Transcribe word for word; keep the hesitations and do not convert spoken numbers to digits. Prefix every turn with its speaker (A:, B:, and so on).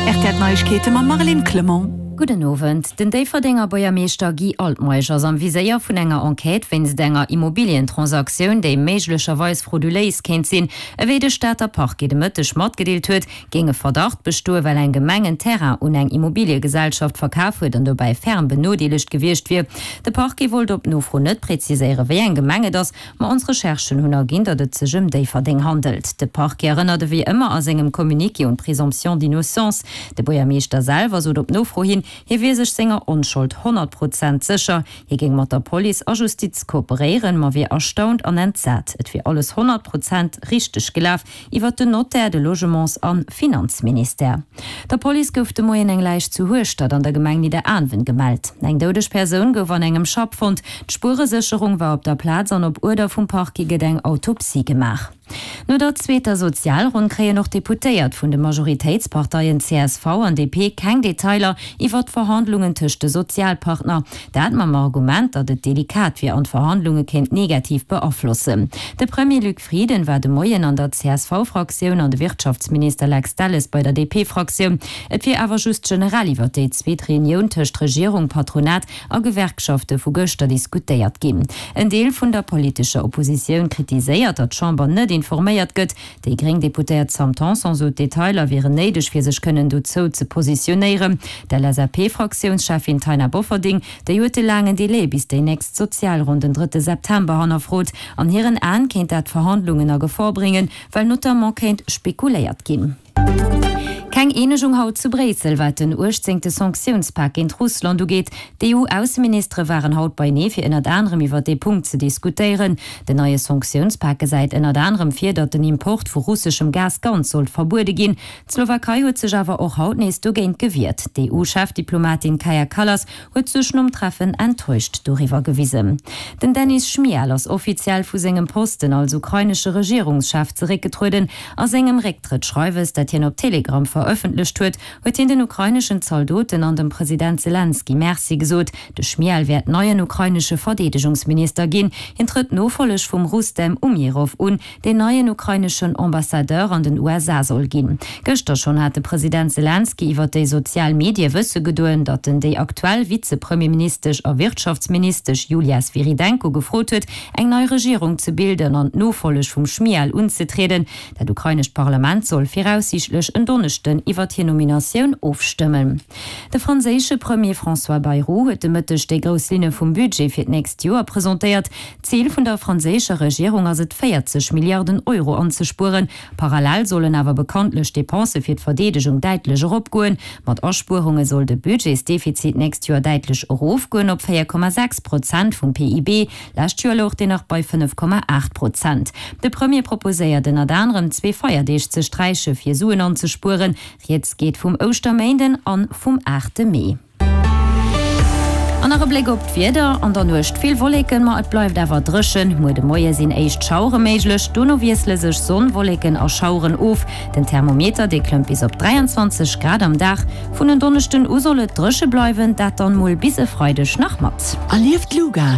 A: R T L Neiegkeete mam Marlène Clement.
B: Gudden Owend. Den Déifferdenger Buergermeeschter Guy Altmeisch ass am Viséier vun enger Enquête wéinst enger Immobilientransaktioun, déi méiglecherweis frauduléis kéint sinn. Ewéi de Stater Parquet de Mëtteg matgedeelt huet, géing e Verdacht bestoen, well eng Gemeng en Terrain un eng Immobiliegesellschaft verkaf huet an dobäi ferm benodeelegt gewiescht wier. De Parquet wollt op Nofro net preziséieren, wéi eng Gemeng et ass, ma ons Recherchen hunn erginn, datt et sech ëm Déifferdeng handelt. De Parquet erënnert ewéi ëmmer a sengem Communiqué un d'Présomption d'innocence. De Buergermeeschter selwer sot op Nofro hin, hie wier sech senger Onschold honnert Prozent sécher. Hie géing mat der Police a Justiz kooperéieren, ma wier erstaunt an entsat. Et wier alles honnert Prozent richteg gelaf, iwwer den Notaire, de Logements a Finanzministère. Der Police gouf de Moien eng Läich zu Hueschtert an der Gemeng Nidderaanwen gemellt. Eng doudeg Persoun gouf an engem Schapp fonnt. D'Spueresécherung war op der Plaz an op Uerder vum Parquet gëtt eng Autopsie gemaach. No der zweeter Sozialronn kréien och d'Deputéiert vun de Majoritéitsparteien C S V an D P keng Detailer iwwer d'Verhandlungen tëscht de Sozialpartner. Dat mam Argument, datt et delikat wier an d'Verhandlunge kéint negativ beaflossen. De Premier Luc Frieden war de Moien an der C S V-Fraktioun an de Wirtschaftsminister Lex Delles bei der D P-Fraktioun. Et wier awer just generell iwwer déi zweet Reunioun tëscht Regierung, Patronat a Gewerkschafte vu gëschter diskutéiert ginn. En Deel vun der politescher Oppositioun kritiséiert, datt d'Chamber net informéiert gëtt. Déi gréng Deputéiert Sam Tanson sot, Detailer wieren néideg fir sech kënnen dozou ze positionéieren. D'L S A P-Fraktiounscheffin Taina Bofferding, déi huet de laangen Delai bis déi nächst Sozialronn den drëtte September hannerfrot. An hiren Aen kéint dat d'Verhandlungen a Gefor bréngen, well notamment kéint spekuléiert ginn. Keng Eenegung haut zu Bréissel, wat den uechtzéngte Sanktiounspak géint Russland ugeet. D'E U-Ausseministere waren haut beienee fir ënnert anerem iwwer dee Punkt ze diskutéieren. Den neie Sanktiounspak gesäit ënnert anerem vir, datt den Import vu russeschem Gas ganz sollt verbuede ginn. D'Slowakei huet sech awer och haut nees dogéint gewiert. D'E U-Chefdiplomatin Kaja Kallas huet sech nom Treffen enttäuscht doriwwer gewisen. Den Denys Schmyhal ass offiziell vu sengem Posten als ukrainesche Regierungschef zeréckgetrueden. A sengem Récktrëttsschreiwes, dat hien op Telegram verëffentlecht huet, huet hien den ukraineschen Zaldoten an dem President Selenskyj Merci gesot. De Schmyhal wäert neien ukrainesche Verdeedegungsminister ginn. Hien trëtt d'Nofolleg vum Rustem Umjerow un, deen neien ukraineschen Ambassadeur an den U S A soll ginn. Gëschter schonn hat de President Selenskyj iwwer déi sozial Medie wësse gedoen, datt en déi aktuell Vizepremierministesch a Wirtschaftsministesch Julia Swyrydenko gefrot huet, eng nei Regierung ze bilden an d'Nofolleg vum Schmyhal unzetrieden. Dat ukrainescht Parlament soll viraussiichtlech en Donneschden iwwer hir Nominatioun ofstëmmen. De franséische Premier François Bayrou huet de Mëtteg déi grouss Linne vum Budget fir d'nächst Joer presentéiert. Zil vun der franséischer Regierung ass et, véierzeg Milliarden Euro anzespueren. Parallel sollen awer bekanntlech d'Depensë fir d'Verdeedegung däitlech eropgoen. Mat Aspuerunge soll de Budgetsdefizit d'nächst Joer däitlech erofgoen op véier Komma sechs Prozent vum P I B. Lescht Joer louch deen nach bei fënnef Komma aacht Prozent. De Premier proposéiert ënnert anerem zwee Feierdeeg ze sträiche fir Suen anzespueren. Rieds geet vum Ouschterméinden an vum aachte Mee. An nach e Bléck op d'Wieder, An der Nuecht vill Wolleken, ma et bleift awer dréchen. Muer de Moie sinn éischt Schauere méiglech, dono wiessele sech Sonn, Wolleken a Schaueren of. Den Thermometer, dee klëmmt bis op dräianzwanzeg Grad am Dag. Vun en Donneschden u soll et dréche bleiwen, dat dann mol bis e Freideg nach mat.
A: Erlieft d'Luga.